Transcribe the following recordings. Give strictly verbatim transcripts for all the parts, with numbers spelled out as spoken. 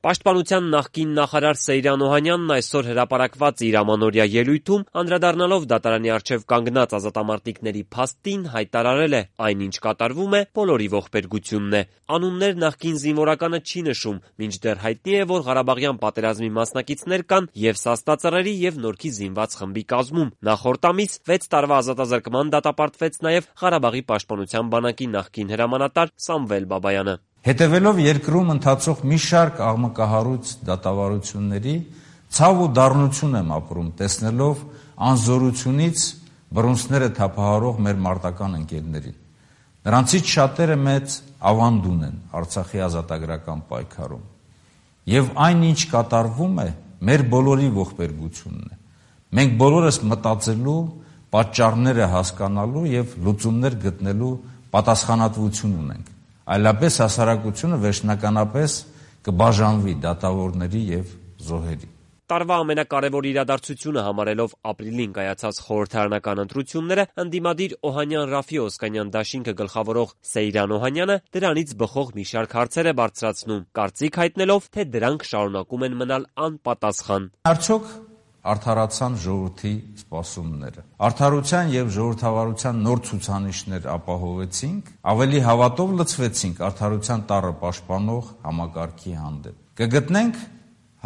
Պաշտպանության նախկին նախարար Սեյրան Օհանյանն այսօր հրապարակված իր ամանորյա ելույթում անդրադառնալով դատարանի առջև կանգնած ազատամարտիկների փաստին հայտարարել է. այն, ինչ կատարվում է, բոլորի ողբերգությունն է։ Անուններ նախկին զինվորականը չի նշում, մինչդեռ հայտնի է, որ Ղարաբաղյան պատերազմի մասնակիցներ կան եւ Սասնածռերի եւ Նորքի զինված խմբի կազմում։ Նախորդ ամիս վեց տարվա ազատազրկման դատապարտվեց նաեւ Ղարաբաղի պաշտպանության բանակի նախկին հրամանատար Սամվել Բաբայանը։ Հետևելով երկրում ընթացող մի շարք աղմկահարույց դատավարությունների, ցավ ու դառնություն եմ ապրում, տեսնելով անզորությունից բռունցքները թափահարող մեր մարտական ընկերներին։ Նրանցից շատերը մեծ ավանդ ունեն Արցախի ազատագրական պայքարում։ Եվ այն, ինչ կատարվում է, մեր բոլորի ողբերգությունն է։ Մենք բոլորս մտածելու, պատճառները հասկանալու եւ լուծումներ գտնելու պատասխանատվություն ունենք։ Այլապես հասարակությունը վերջնականապես կբաժանվի դատավորների եւ զոհերի։ Տարվա ամենակարևոր իրադարձությունը համարելով ապրիլին կայացած խորհրդարանական ընտրությունները, ընդդիմադիր Օհանյան-Ռաֆի Օսկանյան դաշինքը գլխավորող Սեյրան Օհանյանը դրանից բխող մի շարք հարցեր է բարձրացնում, կարծիք հայտնելով, թե դրանք շարունակում են մնալ անպատասխան։ Արդյոք արդարացան ժողովրդի սպասումները։ Արդարության եւ ժողովրդավարության նոր ցուցանիշներ ապահովեցինք, ավելի հավատով լցվեցինք արդարության տառը պաշտպանող համակարգի հանդեպ։ Կգտնենք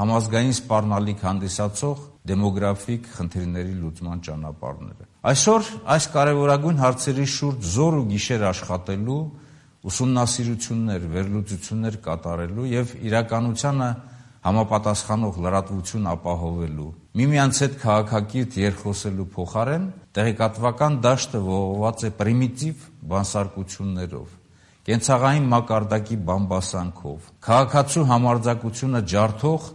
համազգային սպառնալիք հանդիսացող դեմոգրաֆիկ խնդիրների լուծման ճանապարհները։ Այսօր այս կարևորագույն հարցերի շուրջ զոր ու գիշեր աշխատելու, ուսումնասիրություններ, վերլուծություններ կատարելու եւ իրականությանը համապատասխանող լրատվություն ապահովելու, միմյանց հետ քաղաքակիրթ երկխոսելու փոխարեն տեղեկատվական դաշտը ողողված է պրիմիտիվ բանսարկություններով, կենցաղային մակարդակի բամբասանքով, քաղաքացու համարձակությունը ջարդող,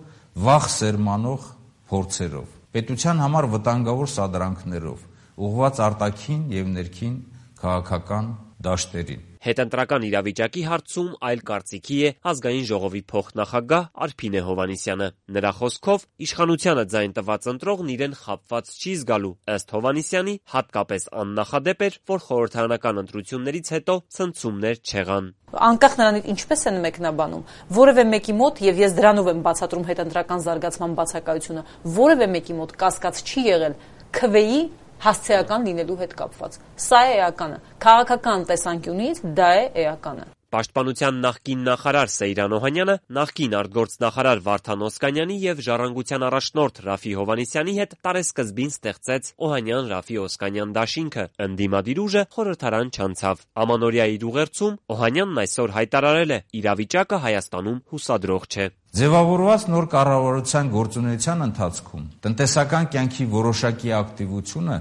վախ սերմանող փորձերով, պետության համար վտանգավոր սադրանքներով, ուղղված արտաքին եւ ներքին քաղաքական դաշտերին։ Հետընտրական իրավիճակի հարցում այլ կարծիքի է Ազգային ժողովի փոխնախագահ Արփինե Հովհաննիսյանը։ Նրա խոսքով իշխանությանը ձայն տված ընտրողն իրեն խաբված չի զգալու, ըստ Հովհաննիսյանի, հատկապես աննախադեպ էր, որ խորհրդարանական ընտրություններից հետո ցնցումներ չեղան։ Անկախ նրանից ինչպես են մեկնաբանում, որևէ մեկի մոտ, եւ ես դրանով եմ բացատրում հետընտրական զարգացման բացակայությունը, որևէ մեկի մոտ կասկած չի եղել քվեի հասցեական լինելու հետ կապված։ Սա է էականը։ Քաղաքական տեսանկյունից դա է էականը։ Պաշտպանության նախկին նախարար Սեյրան Օհանյանը նախկին արտգործնախարար Վարդան Օսկանյանի եւ Ժառանգության առաջնորդ Ռաֆի Հովհաննիսյանի հետ տարեսկզբին ստեղծեց Օհանյան-Ռաֆի Օսկանյան դաշինքը։ Ընդդիմադիր ուժը խորհրդարան չանցավ։ Ամանորյա իր ուղերձում Օհանյանն այսօր հայտարարել է. իրավիճակը Հայաստանում հուսադրող չէ։ Ձևավորված նոր կառավարության գործունեության ընթացքում տնտեսական կյանքի որոշակի ակտիվությունը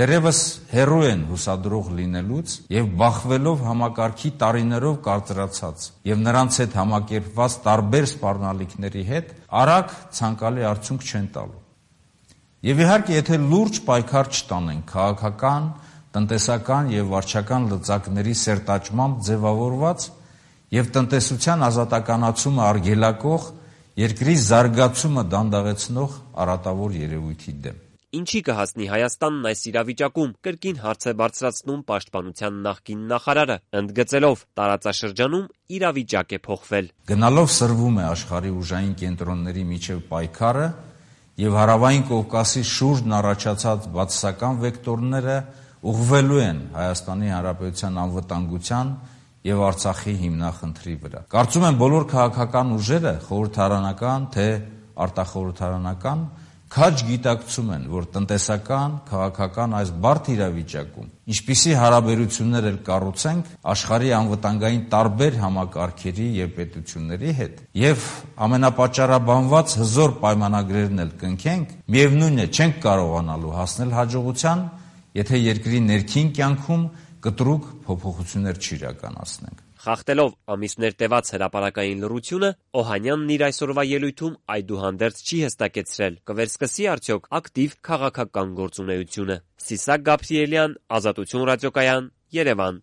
դեռևս հեռու են հուսադրող լինելուց եւ բախվելով համակարգի տարիներով կարծրացած եւ նրանց հետ համակերպված տարբեր սպառնալիքների հետ արագ ցանկալի արդյունք չեն տալու։ Եվ իհարկե, եթե լուրջ պայքար չտանենք քաղաքական, տնտեսական եւ վարչական լծակների սերտաճմամբ ձևավորված եւ տնտեսության ազատականացումը արգելակող երկրի զարգացումը դանդաղեցնող արատավոր երևույթի դեմ։ Ինչի կհասնի Հայաստանն այս իրավիճակում, կրկին հարց է բարձրացնում պաշտպանության նախկին նախարարը, ընդգծելով տարածաշրջանում իրավիճակ է փոխվել։ Գնալով սրվում է աշխարհի ուժային կենտրոնների միջև պայքարը եւ հարավային Կովկասի շուրջն առաջացած բացասական վեկտորները ուղղվելու են Հայաստանի Հանրապետության անվտանգության եւ Արցախի հիմնախնդրի վրա։ Կարծում եմ բոլոր քաղաքական ուժերը, խորհրդարանական թե արտախորհրդարանական, քաջ գիտակցում են, որ տնտեսական, քաղաքական այս բարդ իրավիճակում, ինչպիսի հարաբերություններ էլ կառուցենք աշխարհի անվտանգային տարբեր համակարգերի եւ պետությունների հետ, եւ ամենապատճառաբանված հզոր պայմանագրերն էլ կնքենք, միևնույն է, չենք կարողանալու հասնել հաջողության, եթե երկրի ներքին կյանքում կտրուկ փոփոխություններ չիրականացնենք։ Խախտելով ամիսներ տևած հրապարակային լռությունը, Օհանյանն իր այսօրվա ելույթում այդուհանդերձ չի հստակեցրել, կվերսկսի արդյոք ակտիվ քաղաքական գործունեությունը։ Սիսակ Գաբրիելյան, Ազատություն ռադիոկայան, Երևան։